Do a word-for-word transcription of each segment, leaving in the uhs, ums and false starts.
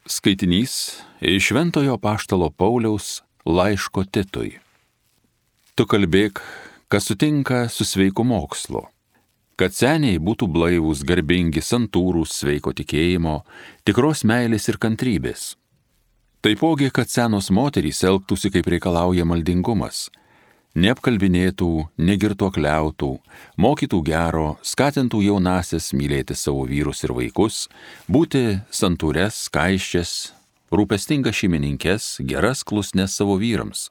Skaitinys iš Šventojo apaštalo Pauliaus laiško Titui. Tu kalbėk, kas sutinka su sveiku mokslu, kad seniai būtų blaivūs, garbingi, santūrūs, sveiko tikėjimo, tikros meilės ir kantrybės. Taipogi, kad senos moterys elgtųsi, kaip reikalauja maldingumas, neapkalbinėtų, negirtuokliautų, mokytų gero, skatintų jaunasias mylėti savo vyrus ir vaikus, būti santūres, skaisčias, rūpestingas šeimininkes, geras klusnes savo vyrams,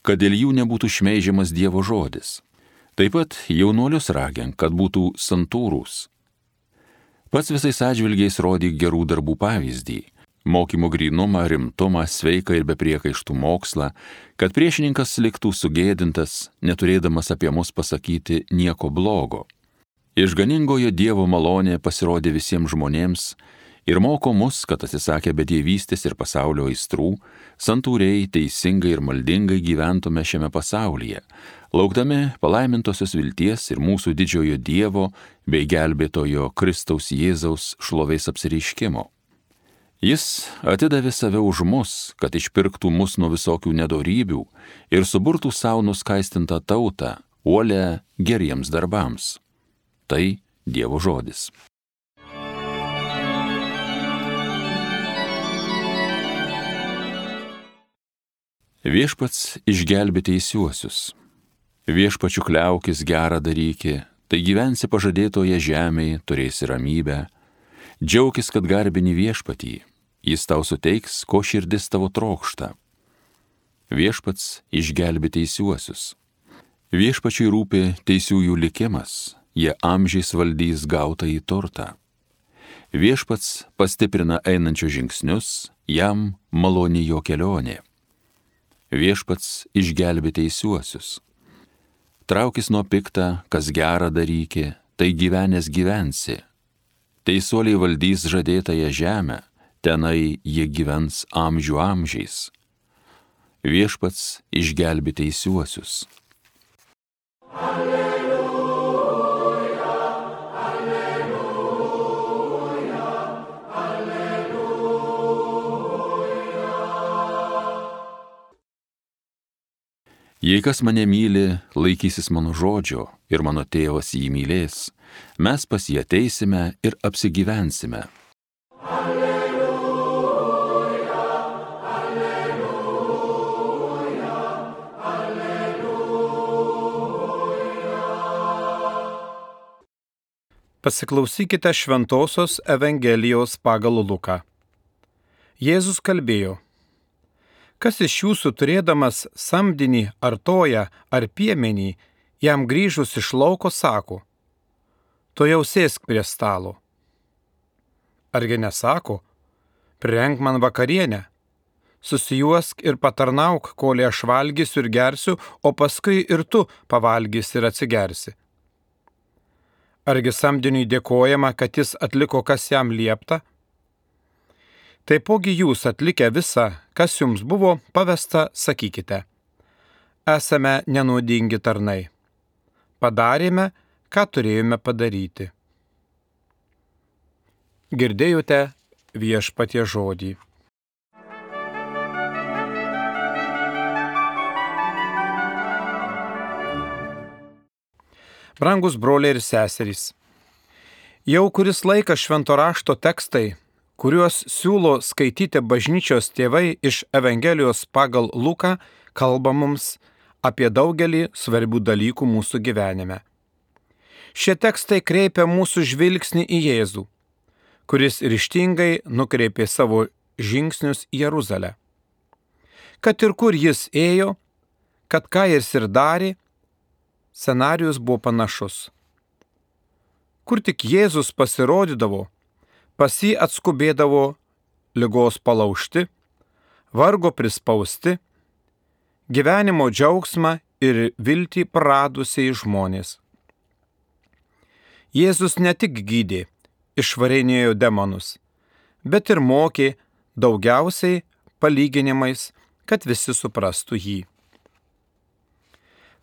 kad dėl jų nebūtų šmeižiamas Dievo žodis. Taip pat jaunuolius ragink, kad būtų santūrūs. Pats visais atžvilgiais rodyk gerų darbų pavyzdį, mokymo grynumą, rimtumą, sveiką ir be priekaištų mokslą, kad priešininkas liktų sugėdintas, neturėdamas apie mus pasakyti nieko blogo. Išganingojo Dievo malonė pasirodė visiems žmonėms ir moko mus, kad atsisakę bedievystės ir pasaulio aistrų, santūriai, teisingai ir maldingai gyventume šiame pasaulyje, laukdami palaimintosios vilties ir mūsų didžiojo Dievo bei gelbėtojo Kristaus Jėzaus šlovės apsireiškimo. Jis atidavė save už mus, kad išpirktų mus nuo visokių nedorybių ir suburtų savo nuskaistintą tautą, uolę geriems darbams. Tai Dievo žodis. Viešpats išgelbė teisiuosius. Viešpačiu kliaukis gerą daryki, tai gyvensi pažadėtoje žemėje, turėsi ramybę. Džiaukis, kad garbini viešpatį, jis tau suteiks, ko širdis tavo trokšta. Viešpats išgelbė teisiuosius. Viešpačiui rūpi teisiųjų likimas, jie amžiais valdys gautąjį turtą. Viešpats pastiprina einančius žingsnius, jam maloni jo kelionė. Viešpats išgelbė teisiuosius. Traukis nuo pikta, kas gerą daryki, tai gyvenęs gyvensi. Teisuoliai valdys žadėtąją žemę, tenai jie gyvens amžių amžiais. Viešpats išgelbė teisiuosius. Alleluja, alleluja, alleluja. Jei kas mane myli, laikysis mano žodžio ir mano tėvas jį mylės, mes pas jį ateisime ir apsigyvensime. Alleluja, alleluja, alleluja. Pasiklausykite Šventosios Evangelijos pagal Luką. Jėzus kalbėjo: kas iš jūsų turėdamas samdinį ar toją ar piemenį, jam grįžus iš lauko sako: tu jau sėsk prie stalo. Argi nesako: prirenk man vakarienę, susijuosk ir patarnauk, kol aš valgysiu ir gersiu, o paskui ir tu pavalgysi ir atsigersi. Argi samdiniui dėkojama, kad jis atliko, kas jam liepta? Taipogi jūs atlikę visą, kas jums buvo pavesta, sakykite: esame nenuodingi tarnai. Padarėme, ką turėjome padaryti. Girdėjote viešpaties žodį. Brangus broliai ir seserys, jau kuris laikas švento rašto tekstai, kuriuos siūlo skaityti bažnyčios tėvai iš Evangelijos pagal Luką, kalba mums apie daugelį svarbių dalykų mūsų gyvenime. Šie tekstai kreipia mūsų žvilgsnį į Jėzų, kuris ryžtingai nukreipė savo žingsnius į Jeruzalę. Kad ir kur jis ėjo, kad ką jis ir darė, scenarijus buvo panašus. Kur tik Jėzus pasirodydavo, pas jį atskubėdavo ligos palaužti, vargo prispausti, gyvenimo džiaugsmą ir viltį praradusiai žmonės. Jėzus ne tik gydė, išvarinėjo demonus, bet ir mokė, daugiausiai palyginimais, kad visi suprastų jį.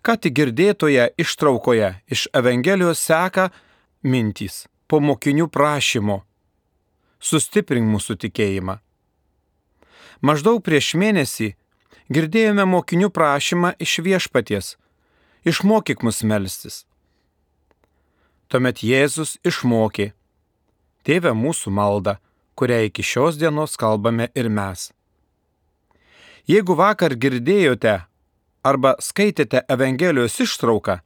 Ką tik girdėtoje ištraukoje iš Evangelijos seka mintys po mokinių prašymo: sustiprink mūsų tikėjimą. Maždaug prieš mėnesį girdėjome mokinių prašymą iš Viešpaties: išmokyk mus melstis. Tuomet Jėzus išmokė: Tėve mūsų maldą, kurią iki šios dienos kalbame ir mes. Jeigu vakar girdėjote arba skaitėte Evangelijos ištrauką,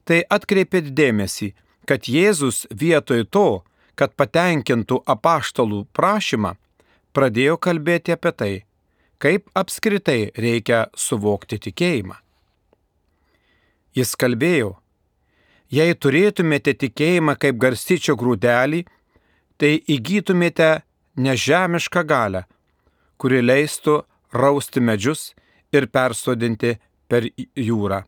tai atkreipėt dėmesį, kad Jėzus vietoj to, kad patenkintų apaštalų prašymą, pradėjo kalbėti apie tai, kaip apskritai reikia suvokti tikėjimą. Jis kalbėjo: jei turėtumėte tikėjimą kaip garstyčio grūdelį, tai įgytumėte nežemišką galią, kuri leistų rausti medžius ir persodinti per jūrą.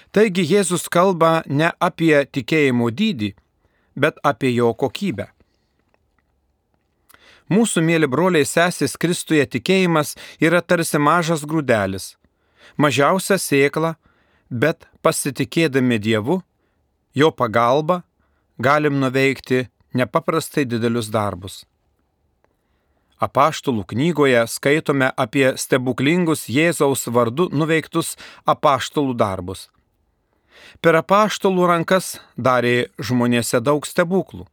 Taigi Jėzus kalba ne apie tikėjimo dydį, bet apie jo kokybę. Mūsų mėly broliai sesės Kristuje tikėjimas yra tarsi mažas grūdelis, mažiausia sėkla, bet pasitikėdami Dievu, jo pagalba, galim nuveikti nepaprastai didelius darbus. Apaštalų knygoje skaitome apie stebuklingus Jėzaus vardu nuveiktus apaštalų darbus. Per apaštalų rankas darė žmonėse daug stebuklų.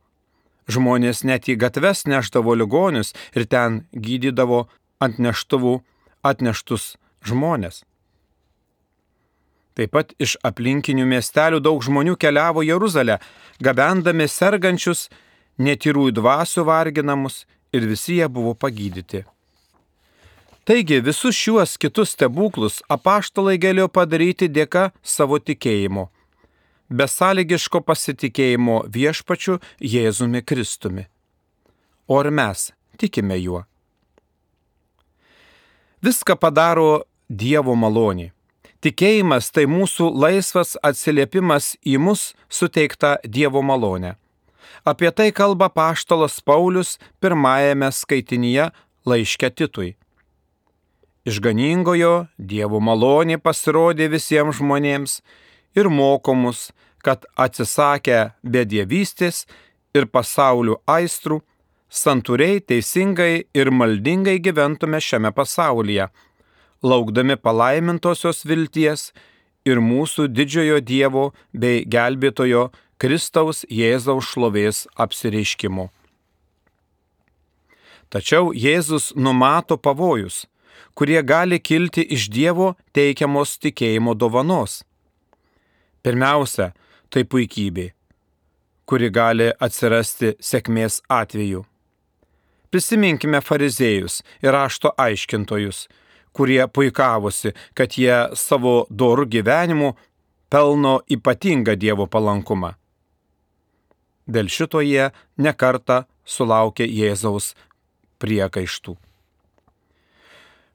Žmonės net į gatves neždavo ligonius ir ten gydydavo ant neštuvų atneštus žmonės. Taip pat iš aplinkinių miestelių daug žmonių keliavo į Jeruzalę, gabendami sergančius, netyrųjų dvasių varginamus, ir visi jie buvo pagydyti. Taigi visus šiuos kitus stebuklus apaštalai galėjo padaryti dėka savo tikėjimo, besąlygiško pasitikėjimo Viešpačiu Jėzumi Kristumi. O ir mes tikime juo. Viską padaro Dievo malonė. Tikėjimas tai mūsų laisvas atsiliepimas į mus suteiktą Dievo malonę. Apie tai kalba apaštalas Paulius pirmajame skaitinyje laiške Titui. Išganingojo Dievo malonė pasirodė visiems žmonėms ir moko mus, kad atsisakę bedievystės ir pasaulio aistrų, santūriai, teisingai ir maldingai gyventume šiame pasaulyje, laukdami palaimintosios vilties ir mūsų didžiojo Dievo bei gelbėtojo Kristaus Jėzaus šlovės apsireiškimo. Tačiau Jėzus numato pavojus, kurie gali kilti iš Dievo teikiamos tikėjimo dovanos. Pirmiausia, tai puikybė, kuri gali atsirasti sėkmės atveju. Prisiminkime fariziejus ir rašto aiškintojus, kurie puikavosi, kad jie savo dorų gyvenimu pelno ypatingą Dievo palankumą. Dėl šito jie nekartą sulaukė Jėzaus priekaištų.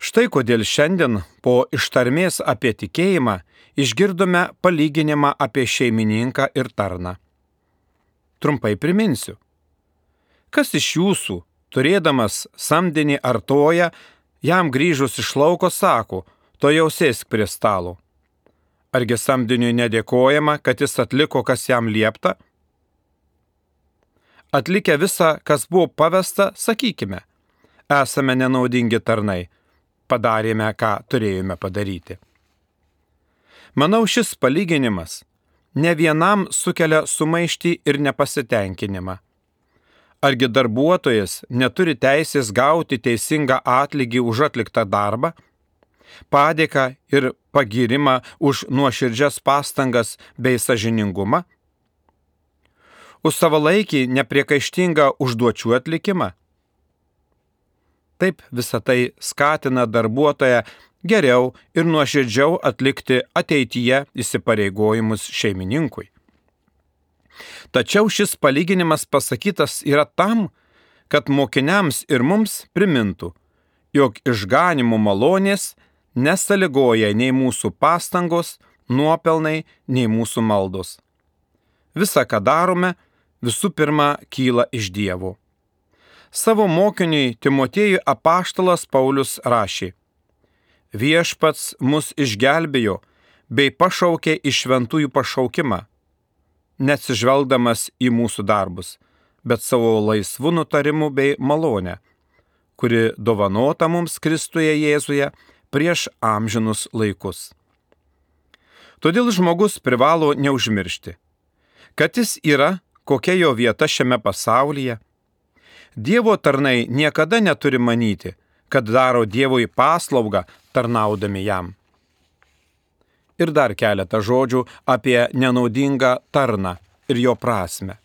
Štai kodėl šiandien po ištarmės apie tikėjimą išgirdome palyginimą apie šeimininką ir tarną. Trumpai priminsiu. Kas iš jūsų, turėdamas samdinį ar toją, jam grįžus iš lauko sako: to jau sėsk prie stalo? Argi samdiniui nedėkojama, kad jis atliko, kas jam liepta? Atlikę visą, kas buvo pavesta, sakykime: esame nenaudingi tarnai, padarėme, ką turėjome padaryti. Manau, šis palyginimas ne vienam sukelia sumaištį ir nepasitenkinimą. Argi darbuotojas neturi teisės gauti teisingą atlygį už atliktą darbą, padėką ir pagyrimą už nuoširdžias pastangas bei sąžiningumą? Už savalaikį nepriekaištingą užduočių atlikimą? Taip visa tai skatina darbuotoją geriau ir nuoširdžiau atlikti ateityje įsipareigojimus šeimininkui. Tačiau šis palyginimas pasakytas yra tam, kad mokiniams ir mums primintų, jog išganimo malonės nesąlygoja nei mūsų pastangos, nuopelnai, nei mūsų maldos. Visa, ką darome, visų pirma kyla iš Dievo. Savo mokiniui Timotiejui apaštalas Paulius rašė: Viešpats mus išgelbėjo bei pašaukė į šventųjų pašaukimą, neatsižvelgdamas į mūsų darbus, bet savo laisvų nutarimų bei malonę, kuri dovanota mums Kristuje Jėzuje prieš amžinus laikus. Todėl žmogus privalo neužmiršti, kad jis yra, kokia jo vieta šiame pasaulyje. Dievo tarnai niekada neturi manyti, kad daro Dievui paslaugą tarnaudami jam. Ir dar keletą žodžių apie nenaudingą tarną ir jo prasme.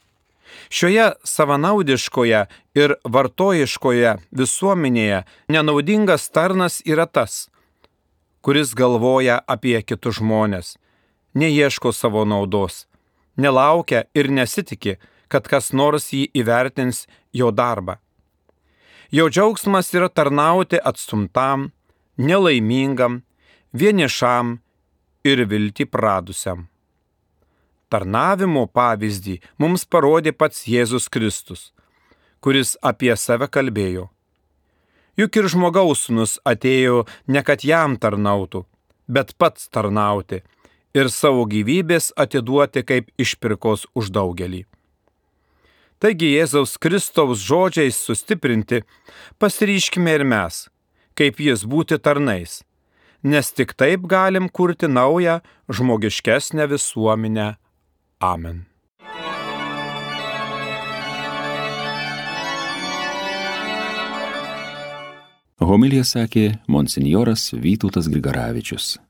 Šioje savanaudiškoje ir vartojiškoje visuomenėje nenaudingas tarnas yra tas, kuris galvoja apie kitus žmones, neieško savo naudos, nelaukia ir nesitiki, kad kas nors jį įvertins jo darbą. Jo džiaugsmas yra tarnauti atstumtam, nelaimingam, vienišam ir viltį pradusiam. Tarnavimo pavyzdį mums parodė pats Jėzus Kristus, kuris apie save kalbėjo. Juk ir žmogaus sūnus atėjo ne kad jam tarnautų, bet pats tarnauti ir savo gyvybės atiduoti kaip išpirkos už daugelį. Taigi Jėzaus Kristaus žodžiais sustiprinti, pasiryškime ir mes, kaip jis būti tarnais, nes tik taip galim kurti naują, žmogiškesnę visuomenę. Amen. Homiliją sakė monsinjoras Vytautas Grigaravičius.